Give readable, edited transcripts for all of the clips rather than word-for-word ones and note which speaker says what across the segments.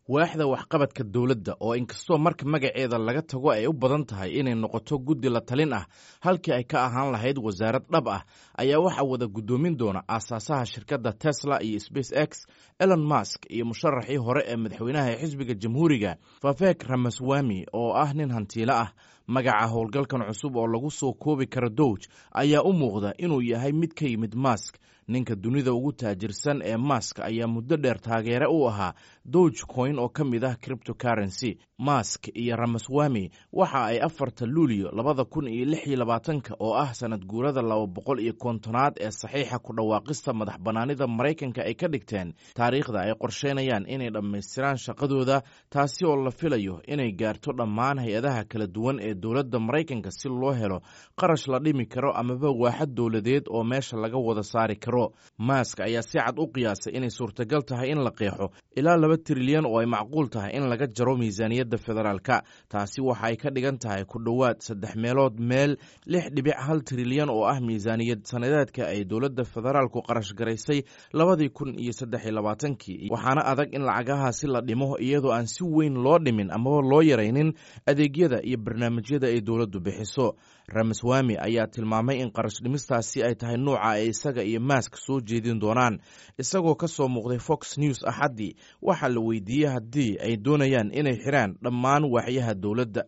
Speaker 1: Waaxda waxqabadka dowladda, oo inkastoo marka magaceeda laga tago ay u badan tahay inay noqoto guddi la talin ah halkii ay ka ahaan lahayd wasaarad dhab ah, ayaa waxaa wada guddoomin doona aasaasaha shirkadda Tesla iyo Space X Elon Musk iyo musharaxii hore ee madaxweynaha xisbiga Jamhuuriga Vivek Ramaswamy, oo ah nin hantiilo ah. Magaca howlgalkan cusub oo lagu soo koobi karo DOGE ayaa u muuqda inuu yahay mid ka yimid Musk. Ninka dunida ugu taajirsan ee Musk ayaa muddo dheer taageere u ahaa Dogecoin oo ka mid ah cryptocurrency. Musk iyo Ramaswamy waxa ay 4-ta Luulyo 2026-ka, oo ah sanad guurada 250aad ee saxiixa ku dhawaaqista madax bannaanida Maraykanka, ay ka dhigteen taariikhda ay qorsheynayaan inay dhammaystiraan shaqadooda, taasi oo la filayo inay gaarto dhammaan hay-adaha kala duwan ee dowladda Maraykanka si loo helo qarash la dhimi karo amaba waaxad dowladeed oo meesha laga wada saari karo. Musk ayaa si cad u qiyaasay inay suurtagal tahay in la qeexo ilaa 2 trilyan oo ay macquul tahay in laga jaro miisaaniyadda federaalka. Taasi waxa ay ka dhigan tahay ku dhowaad saddex meelood meel 6.1 trilyan oo ah miisaaniyad sanadeedka ay dowladda federaalku qarash garaysay 2023-kii. Waxaana adag in lacagahaasi la dhimo iyadoo aan si weyn loo dhimin amaba loo yaraynin adeegyada iyo barnaamijyada ay dowladdu bixiso. Ramaswamy ayaa tilmaamay in qarash dhimistaasi ay tahay nuuca ay isaga iyo Musk soo jeedin doonaan. Isagoo ka soo muuqday Fox News Axaddii, waxaa la weydiiyey haddii ay doonayaan inay xiraan dhammaan waaxyaha dowladda.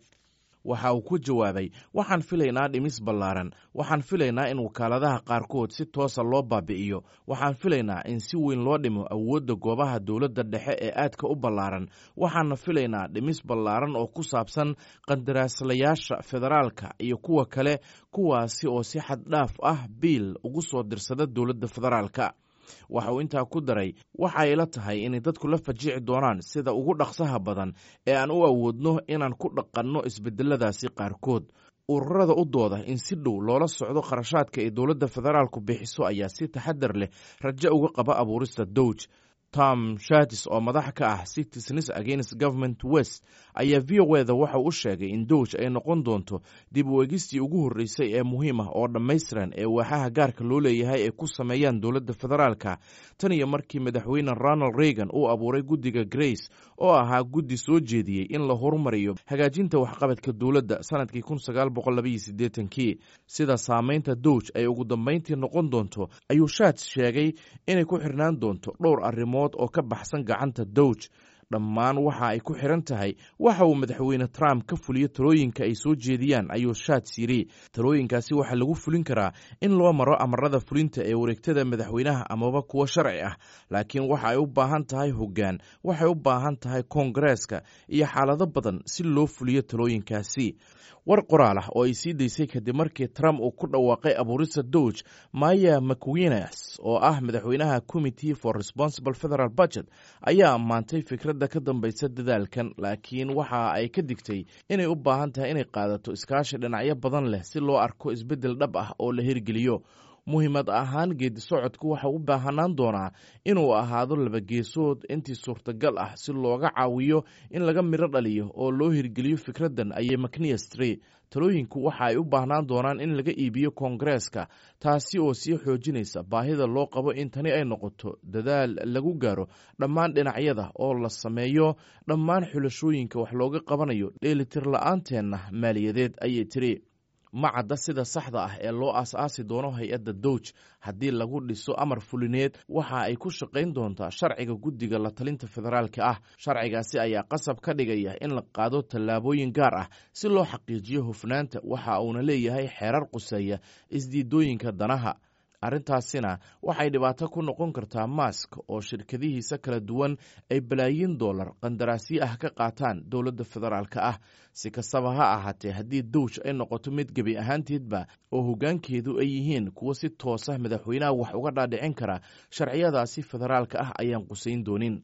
Speaker 1: Waxa uu ku jawaabay: "Waxaan filaynaa dhimis ballaaran. Waxaan filaynaa in wakaaladaha qaarkood si toosa loo baabi'iyo. Waxaan filaynaa in si weyn loo dhimo awoodda goobaha dowladda dhexe ee aadka u ballaaran. Waxaana filaynaa dhimis ballaaran oo ku saabsan qandaraaslayaasha federaalka iyo kuwa kale, kuwaasi oo si xad dhaaf ah biil ugu soo dirsada dowladda federaalka." Waxa uu intaa ku daray: "Waxay ila tahay inay dadku la fajici doonaan sida ugu dhaqsaha badan ee aan u awoodno inaan ku dhaqanno isbedeladaasi qaarkood." Ururada u dooda in si dhow loola socdo kharashaadka ay dowladda federaalku bixiso ayaa si taxadar leh rajo uga qaba abuurista DOGE. Tom Shatis, oo madax ka ah Citizens Against Government Waste, ayaa VOA-da waxa u sheegay in DOGE ay noqon doonto dib u eegistii ugu horreysay ee muhiim ah oo dhammaystiran ee waaxaha gaarka loo leeyahay ay ku sameeyaan dowladda federaalka tan iyo markii madaxweyne Ronald Reagan uu abuuray guddiga Grace, oo ahaa guddi soo jeediyey in la horumariyo hagaajinta waxqabadka dowladda sanadkii 1982-kii. Sida saameynta DOGE ay ugu dambeyntii noqon doonto ayuu Shats sheegay inay ku xirnaan doonto dhowr arrimood oo ka baxsan gacanta DOGE. "Dhammaan waxa ay ku xiran tahay waxa uu madaxweyne Trump ka fuliyo talooyinka ay soo jeediyaan," ayuu Shats yidhi. "Talooyinkaasi waxaa lagu fulin karaa in loo maro amarada fulinta ee wareegtada madaxweynaha amaba kuwo sharci ah, laakiin waxa ay u baahan tahay hoggaan, waxay u baahan tahay koongareeska iyo xaalado badan si loo fuliyo talooyinkaasi." War qoraal ah oo ay sii daysay kadib markii Trump uu ku dhawaaqay abuurista DOGE, Maya MacGuineas, oo ah madaxweynaha Committee for Responsible Federal Budget, ayaa ammaantay fikradda ka dambaysa dadaalkan, laakiin waxa ay ka digtay inay u baahan tahay inay qaadato iskaashi dhinacyo badan leh si loo arko isbeddel dhab ah oo la hirgeliyo. "Muhiimad ahaan, geedi socodku waxa u baahanaan doonaa inuu ahaado laba geesood intii suurtagal ah si looga caawiyo in laga midho dhaliyo oo loo hirgeliyo fikraddan," ayay MacGuineas tiri. "Talooyinku waxa ay u baahnaan doonaan in laga iibiyo koongareeska, taasi oo sii xoojinaysa baahida loo qabo in tani ay noqoto dadaal lagu gaaro dhammaan dhinacyada oo la sameeyo dhammaan xulashooyinka wax looga qabanayo dheelitir la-aanteenna maaliyadeed," ayay tiri. Ma cadda sida saxda ah ee loo aas-aasi doono hay-adda DOGE. Haddii lagu dhiso amar fulineed, waxa ay ku shaqayn doontaa sharciga guddiga la talinta federaalka ah. Sharcigaasi ayaa qasab ka dhigaya in la qaado tallaabooyin gaar ah si loo xaqiijiyo hufnaanta, waxa uuna leeyahay xeerar quseeya isdiidooyinka danaha. Arrintaasina waxay dhibaato ku noqon kartaa Musk, oo shirkadihiisa kala duwan ay balaayiin dollar qandaraasyo ah ka qaataan dowladda federaalka ah. Si kastaba ha ahaatee, haddii DOGE ay noqoto mid gebi ahaanteedba oo hoggaankeedu ay yihiin kuwo si toosa madaxweynaha wax uga dhaadhicin kara, sharciyadaasi federaalka ah ayaan qusayn doonin.